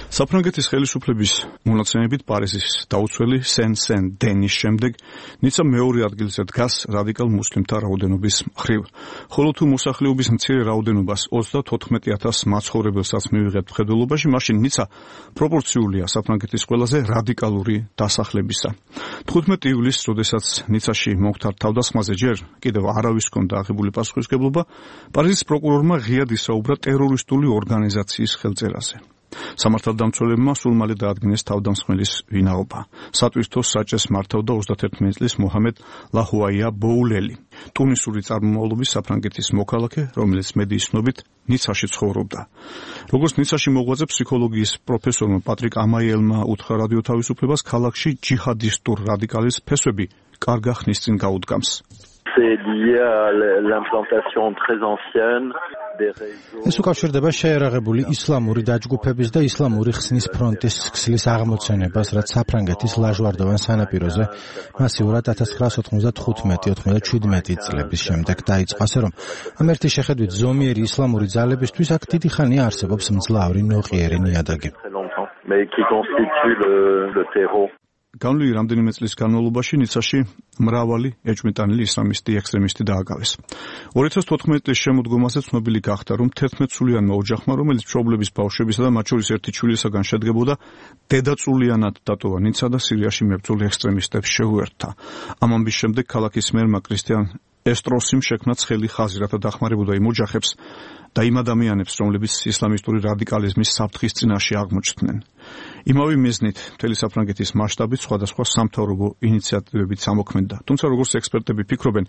საფრანგეთის ხელისუფლების მონაცემებით პარიზის დაუცველი სენ-დენის შემდეგ ნიცა მეორე ადგილზე დგას რადიკალ მუსლიმთა რაოდენობის მხრივ. ხოლო თუ მოსახლეობის მცირე რაოდენობას 34,000 მაცხოვრებელსაც მივიღებთ მხედველობაში, მაშინ ნიცა პროპორციულია საფრანგეთის ყველაზე რადიკალური დასახლებისა. 15 ივლისს, როდესაც ნიცაში მომხდარ თავდასხმაზე ჯერ კიდევ არავის ჰქონდა აღებული პასუხისმგებლობა, პარიზის პროკურორმა ღიად ისაუბრა ტერორისტული ორგანიზაციის ხელწერაზე. სამართალდამცველებმა სულ მალე დაადგინეს თავდამსხმელის ვინაობა. სატვირთოს საჭეს მართავდა 31 წლის მოჰამედ ლაჰუაია ბოულელი, ტუნისური წარმომავლობის საფრანგეთის მოქალაქე, რომელიც მედიის ცნობით ნიცაში ცხოვრობდა. როგორც ნიცაში მოღვაწე ფსიქოლოგიის პროფესორმა პატრიკ ამაიელმა უთხრა რადიო თავისუფლებას, ქალაქში ჯიჰადისტურ რადიკალიზმის ფესვები კარგა ხნის წინ გაუდგამს. ეს უკავშირდება შეერაღებული ისლამური დაჯგუფების და ისლამური ხსნის ფრონტის ქსლის აღმოცენებას, რაც საფრანგეთის ლაჟვარდოვან სანაპიროზე მასიურად 1995-97 წლების შემდეგ დაიწყო, ასე რომ ამ ერთი შეხედვით ზომიერი ისლამური ძალებისთვის აქ დიდი ხანია არსებობს მძლავრი ნოყიერი ნიადაგი. განვლილი რამდენიმე წლის განმავლობაში ნიცაში მრავალი ეჭვმიტანილი ისლამისტი ექსტრემისტი დააგავეს. 2014 წლის შემოდგომაზე ცნობილი გახდა, რომ 11-სულიანმა ოჯახმა, რომელიც მშობლების ბავშვებისა და მათ შორის ერთი ჩვილისაგან შედგებოდა, დედაწულიანად დატოვა ნიცა და სირიაში მებრძოლ ექსტრემისტებს შეუერთდა. ამ ამბის შემდეგ ქალაქის მერმა კრისტიან ესტროსიმ შექმნა ცხელი ხაზი, რათა დახმარებოდა იმ ოჯახებს და იმ ადამიანებს, რომლებიც ისლამისტური რადიკალიზმის საფრთხის წინაშე აღმოჩნდნენ. იმავე მიზნით მთელი საფრანგეთის მასშტაბით სხვადასხვა სამთავრობო ინიციატივებით ამოქმედდა. თუმცა როგორც ექსპერტები ფიქრობენ,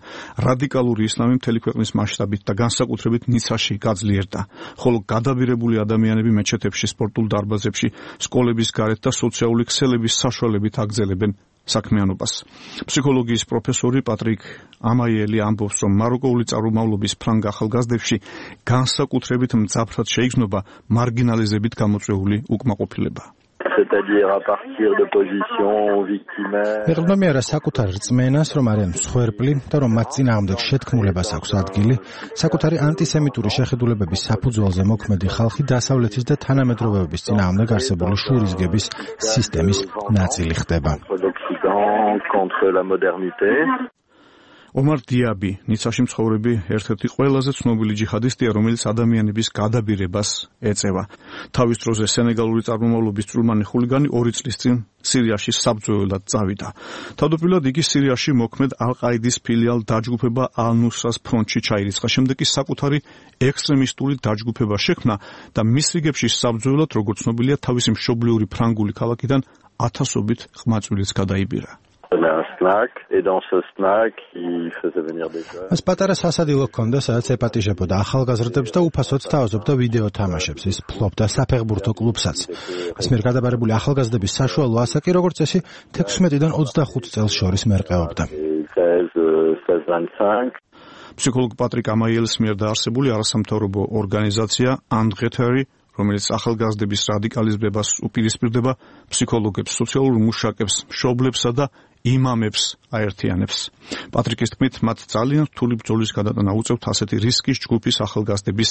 რადიკალური ისლამი მთელი ქვეყნის მასშტაბით და განსაკუთრებით ნიცაში გაძლიერდა, ხოლო გადაბირებული ადამიანები მეჩეთებში, სპორტულ დარბაზებში, სკოლების გარეთ და სოციალური ქსელების საშუალებით აგრძელებენ საქმიანობას. ფსიქოლოგიის პროფესორი პატრიკ ამაიელი ამბობს, რომ მაროკოული წარმომავლობის ფრანგ ახალგაზრდებში განსაკუთრებით მძაფრად შეიგრძნობა მარგინალიზებით გამოწვეული უკმაყოფილება. ეყრდნობიან საკუთარ რწმენას, რომ არიან მსხვერპლი და რომ მათ წინააღმდეგ შეთქმულებას აქვს ადგილი, საკუთარი ანტისემიტური შეხედულებების საფუძველზე მოქმედი ხალხი დასავლეთის და თანამედროვეობის წინააღმდეგ არსებული შურისგების სისტემის ნაწილი ხდება. ომარ დიაბი, ნიცაში მცხოვრები ერთ-ერთი ყველაზე ცნობილი ჯიჰადისტია, რომელიც ადამიანების გადაბირებას ეწევა. თავის დროზე სენეგალური წარმომავლობის წვრილმანი ხულიგანი 2 წლის წინ სირიაში საბრძოლველად წავიდა. თავდაპირველად იგი სირიაში მოქმედ ალ-ყაიდის ფილიალ დაჯგუფება ალ-ნუსრას ფრონტში ჩაირიცხა, შემდეგ კი საკუთარი ექსტრემისტული დაჯგუფება შექმნა და მის რიგებში საბრძოლველად, როგორც ცნობილია, თავისი მშობლიური ფრანგული ქალაქიდან ათასობით ყმაწვილიც გადაიბირა. მას პატარა სასადილო ჰქონდა, სადაც ეპატიჟებოდა ახალგაზრდებს და უფასოდ სთავაზობდა ვიდეო თამაშებს. ის ფლობდა საფეხბურთო კლუბსაც. მას მიერ გადაბარებული ახალგაზრდების საშუალო ასაკი, როგორც წესი, 16-დან 25 წელს შორის მერყეობდა. ფსიქოლოგ პატრიკ ამაიელის მიერ დაარსებული არასამთავრობო ორგანიზაცია ანდღეთერი, რომელიც ახალგაზრდების რადიკალიზებას უპირისპირდება, ფსიქოლოგებს, სოციალურ მუშაკებს, მშობლებსა და იმამებს აერთიანებს. პატრიკის თქმით, მათ ძალიან რთული ბრძოლის გადატანა უწევთ ასეთი რისკის ჯგუფის ახალგაზრდების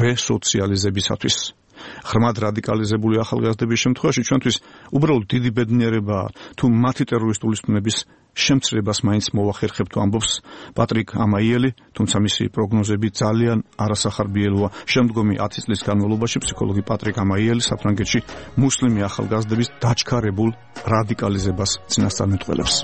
რესოციალიზებისათვის. ღრმად რადიკალიზებული ახალგაზრდების შემთხვევაში ჩვენთვის უბრალოდ დიდი ბედნიერებაა, თუ მათი ტერორისტული სტუნების შემცირებას მაინც მოვახერხებთ, ამბობს პატრიკ ამაიელი, თუმცა მისი პროგნოზები ძალიან არასახარბიელოა. შემდგომი 10 წლის განმავლობაში ფსიქოლოგი პატრიკ ამაიელი საფრანგეთში მუსლიმი ახალგაზრდების დაჩქარებულ რადიკალიზებას წინასწარმეტყველებს.